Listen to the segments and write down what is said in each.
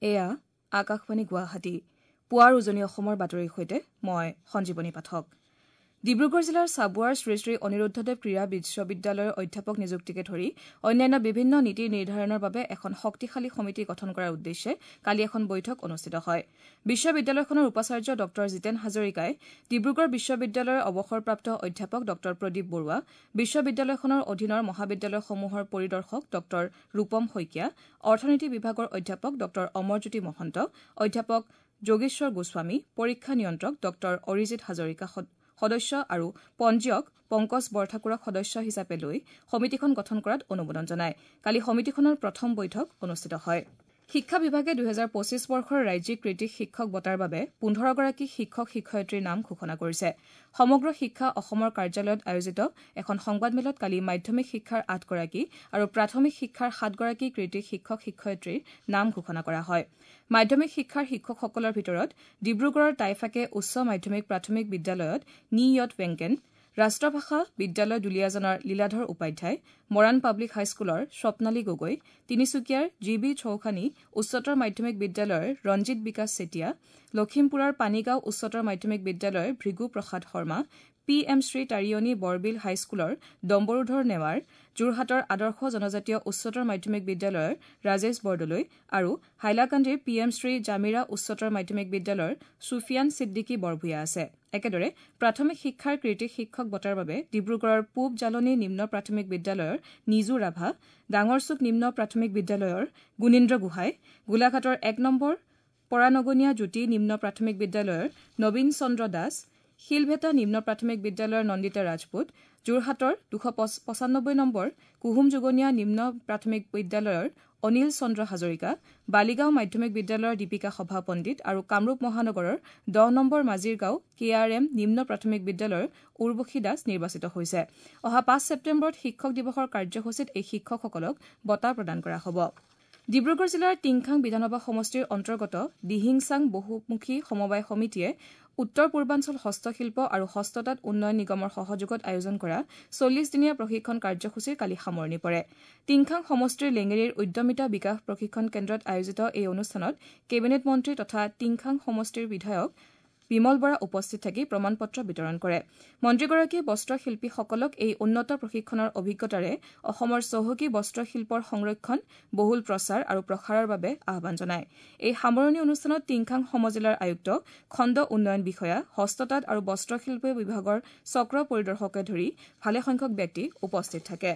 এয়া আকাশবাণী গুৱাহাটী। পুৱাৰ উজনি অসমৰ বাতৰিৰ সৈতে মই সঞ্জীৱনী পাঠক। ডিব্ৰুগড় জিলাৰ চাবুৱাৰ শ্ৰী শ্ৰী অনিৰুদ্ধদেৱ ক্ৰীড়া বিশ্ববিদ্যালয়ৰ অধ্যাপক নিযুক্তিকে ধৰি অন্যান্য বিভিন্ন নীতি নিৰ্ধাৰণৰ বাবে এখন শক্তিশালী সমিতি গঠন কৰাৰ উদ্দেশ্যে কালি এখন বৈঠক অনুষ্ঠিত হয়। বিশ্ববিদ্যালয়খনৰ উপাচাৰ্য ডঃ জিতেন হাজৰিকাই ডিব্ৰুগড় বিশ্ববিদ্যালয়ৰ অৱসৰপ্ৰাপ্ত অধ্যাপক ডঃ প্ৰদীপ বৰুৱা, বিশ্ববিদ্যালয়খনৰ অধীনৰ মহাবিদ্যালয়সমূহৰ পৰিদৰ্শক ডঃ ৰূপম শইকীয়া, অৰ্থনীতি বিভাগৰ অধ্যাপক ডঃ অমৰজ্যোতি মহন্ত, অধ্যাপক যোগেশ্বৰ গোস্বামী, পৰীক্ষা নিয়ন্ত্ৰক ডঃ অৰিজিত হাজৰিকা সদস্য আৰু পঞ্জীয়ক পংকজ বৰঠাকুৰক সদস্য হিচাপে লৈ সমিতিখন গঠন কৰাত অনুমোদন জনায়। কালি সমিতিখনৰ প্ৰথম বৈঠক অনুষ্ঠিত হয়। শিক্ষা বিভাগে ২০২৫ বৰ্ষৰ ৰাজ্যিক কৃতী শিক্ষক বঁটাৰ বাবে ১৫গৰাকী শিক্ষক শিক্ষয়িত্ৰীৰ নাম ঘোষণা কৰিছে। সমগ্ৰ শিক্ষা অসমৰ কাৰ্যালয়ত আয়োজিত এখন সংবাদমেলত কালি মাধ্যমিক শিক্ষাৰ ৮গৰাকী আৰু প্ৰাথমিক শিক্ষাৰ ৭গৰাকী কৃতী শিক্ষক শিক্ষয়িত্ৰীৰ নাম ঘোষণা কৰা হয়। মাধ্যমিক শিক্ষাৰ শিক্ষকসকলৰ ভিতৰত ডিব্ৰুগড়ৰ টাইফাকে উচ্চ মাধ্যমিক প্ৰাথমিক বিদ্যালয়ত নি য়ট ৱেংকেন, ৰাষ্ট্ৰভাষা বিদ্যালয় দুলীয়াজানৰ লীলাধৰ উপাধ্যায়, মৰাণ পাব্লিক হাইস্কুলৰ স্বপ্নালী গগৈ, তিনিচুকীয়াৰ জি বি চৌখানী উচ্চতৰ মাধ্যমিক বিদ্যালয়ৰ ৰঞ্জিত বিকাশ চেতিয়া, লখিমপুৰৰ পানীগাঁও উচ্চতৰ মাধ্যমিক বিদ্যালয়ৰ ভৃগু প্ৰসাদ শৰ্মা, পি এম শ্ৰী তাৰিয়নী বৰবিল হাইস্কুলৰ ডম্বৰুধৰ নেৱাৰ, যোৰহাটৰ আদৰ্শ জনজাতীয় উচ্চতৰ মাধ্যমিক বিদ্যালয়ৰ ৰাজেশ বৰদলৈ আৰু হাইলাকান্দিৰ পি এম শ্ৰী জামিৰা উচ্চতৰ মাধ্যমিক বিদ্যালয়ৰ ছুফিয়ান ছিদ্দিকী বৰভূঞা আছে। একেদৰে প্ৰাথমিক শিক্ষাৰ কৃতী শিক্ষক বঁটাৰ বাবে ডিব্ৰুগড়ৰ পূব জালনী নিম্ন প্ৰাথমিক বিদ্যালয়ৰ নিজু ৰাভা, ডাঙৰচুক নিম্ন প্ৰাথমিক বিদ্যালয়ৰ গুণীন্দ্ৰ গোহাঁই, গোলাঘাটৰ ১ নম্বৰ পৰানগনীয়া জ্যোতি নিম্ন প্ৰাথমিক বিদ্যালয়ৰ নবীন চন্দ্ৰ দাস, শিলভেটা নিম্ন প্ৰাথমিক বিদ্যালয়ৰ নন্দিতা ৰাজপুত, যোৰহাটৰ ২৯৫ নম্বৰ কুহুমযোগনীয়া নিম্ন প্ৰাথমিক বিদ্যালয়ৰ অনিল চন্দ্ৰ হাজৰিকা, বালিগাঁও মাধ্যমিক বিদ্যালয়ৰ দীপিকা সভাপণ্ডিত আৰু কামৰূপ মহানগৰৰ ১০ নম্বৰ মাজিৰগাঁও কে আৰ এম নিম্ন প্ৰাথমিক বিদ্যালয়ৰ উৰ্বশী দাস নিৰ্বাচিত হৈছে। অহা ৫ ছেপ্টেম্বৰত শিক্ষক দিৱসৰ কাৰ্যসূচীত এই শিক্ষকসকলক বঁটা প্ৰদান কৰা হ'ব। ডিব্ৰুগড় জিলাৰ টিংখাং বিধানসভা সমষ্টিৰ অন্তৰ্গত দিহিংচাং বহুমুখী সমবায় সমিতিয়ে উত্তৰ পূৰ্বাঞ্চল হস্তশিল্প আৰু হস্ততাঁত উন্নয়ন নিগমৰ সহযোগত আয়োজন কৰা ৪০ দিনীয়া প্ৰশিক্ষণ কাৰ্যসূচীৰ কালি সামৰণি পৰে। টিংখাং সমষ্টিৰ লেঙেৰীৰ উদ্যমিতা বিকাশ প্ৰশিক্ষণ কেন্দ্ৰত আয়োজিত এই অনুষ্ঠানত কেবিনেট মন্ত্ৰী তথা টিংখাং সমষ্টিৰ বিধায়ক বিমল বৰা উপস্থিত থাকি প্ৰমাণপত্ৰ বিতৰণ কৰে। মন্ত্ৰীগৰাকীয়ে বস্ত্ৰশিল্পীসকলক এই উন্নত প্ৰশিক্ষণৰ অভিজ্ঞতাৰে অসমৰ চহকী বস্ত্ৰশিল্পৰ সংৰক্ষণ, বহুল প্ৰচাৰ আৰু প্ৰসাৰৰ বাবে আহ্বান জনায়। এই সামৰণি অনুষ্ঠানত টিংখাং সমজিলাৰ আয়ুক্ত, খণ্ড উন্নয়ন বিষয়া, হস্ততাঁত আৰু বস্ত্ৰশিল্প বিভাগৰ চক্ৰ পৰিদৰ্শককে ধৰি ভালেসংখ্যক ব্যক্তি উপস্থিত থাকে।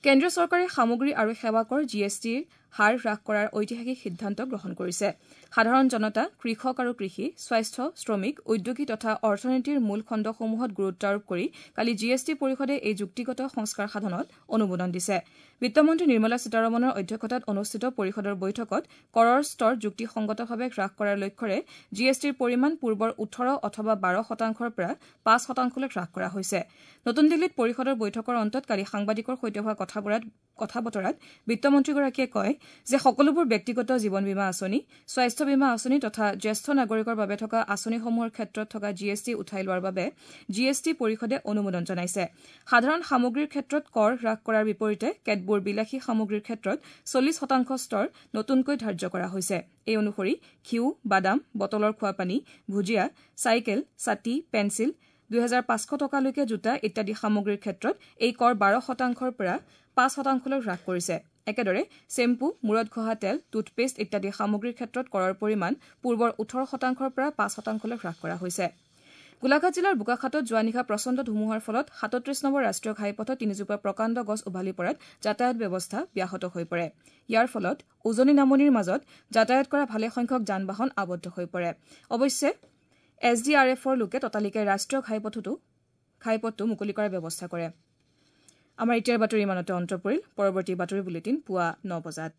কেন্দ্ৰীয় চৰকাৰে সামগ্ৰী আৰু সেৱা কৰ জি এছ টিৰ হাৰ হ্ৰাস কৰাৰ ঐতিহাসিক সিদ্ধান্ত গ্ৰহণ কৰিছে। সাধাৰণ জনতা, কৃষক আৰু কৃষি, স্বাস্থ্য, শ্ৰমিক, উদ্যোগী তথা অৰ্থনীতিৰ মূল খণ্ডসমূহত গুৰুত্ব আৰোপ কৰি কালি জি এছ টি পৰিষদে এই যুক্তিগত সংস্কাৰ সাধনত অনুমোদন দিছে। বিত্তমন্ত্ৰী নিৰ্মলা সীতাৰমণৰ অধ্যক্ষতাত অনুষ্ঠিত পৰিষদৰ বৈঠকত কৰৰ স্তৰ যুক্তিসংগতভাৱে হ্ৰাস কৰাৰ লক্ষ্যৰে জি এছ টিৰ পৰিমাণ পূৰ্বৰ ১৮ অথবা ১২ শতাংশৰ পৰা ৫ শতাংশলৈ হ্ৰাস কৰা হৈছে। নতুন দিল্লীত পৰিষদৰ বৈঠকৰ অন্তত কালি সাংবাদিকৰ সৈতে হোৱা কথা বতৰাত বিত্তমন্ত্ৰীগৰাকীয়ে কয় যে সকলোবোৰ ব্যক্তিগত জীৱন বীমা আঁচনি, স্বাস্থ্য বীমা আঁচনি তথা জ্যেষ্ঠ নাগৰিকৰ বাবে থকা আঁচনিসমূহৰ ক্ষেত্ৰত থকা জি এছ টি উঠাই লোৱাৰ বাবে জি এছ টি পৰিষদে অনুমোদন জনাইছে। সাধাৰণ সামগ্ৰীৰ ক্ষেত্ৰত কৰ হ্ৰাস কৰাৰ বিপৰীতে কেতবোৰ বিলাসী সামগ্ৰীৰ ক্ষেত্ৰত ৪০ শতাংশ স্তৰ নতুনকৈ ধাৰ্য কৰা হৈছে। এই অনুসৰি ঘিউ, বাদাম, বটলৰ খোৱাপানী, ভুজিয়া, চাইকেল, ছাতি, পেঞ্চিল, ২৫০০ টকালৈকে জোতা ইত্যাদি সামগ্ৰীৰ ক্ষেত্ৰত এই কৰ ১২ শতাংশৰ পৰা ৫ শতাংশলৈ হ্ৰাস কৰিছে। একেদৰে চেম্পু, মূৰত ঘঁহা তেল, টুথপেষ্ট ইত্যাদি সামগ্ৰীৰ ক্ষেত্ৰত কৰৰ পৰিমাণ পূৰ্বৰ ১৮ শতাংশৰ পৰা ৫ শতাংশলৈ হ্ৰাস কৰা হৈছে। গোলাঘাট জিলাৰ বোকাখাতত যোৱা নিশা প্ৰচণ্ড ধুমুহাৰ ফলত ৩৭ নম্বৰ ৰাষ্ট্ৰীয় ঘাইপথত তিনিজোপা প্ৰকাণ্ড গছ উভালি পৰাত যাতায়াত ব্যৱস্থা ব্যাহত হৈ পৰে। ইয়াৰ ফলত উজনি নামনিৰ মাজত যাতায়াত কৰা ভালেসংখ্যক যান বাহন আবদ্ধ হৈ পৰে। অৱশ্যে এছ ডি আৰ এফৰ লোকে ততালিকে ৰাষ্ট্ৰীয় ঘাইপথটো মুকলি কৰাৰ ব্যৱস্থা কৰে। আমাৰ এতিয়াৰ বাতৰি ইমানতে অন্ত পৰিল। পৰৱৰ্তী বাতৰি বুলেটিন পুৱা ৯ বজাত।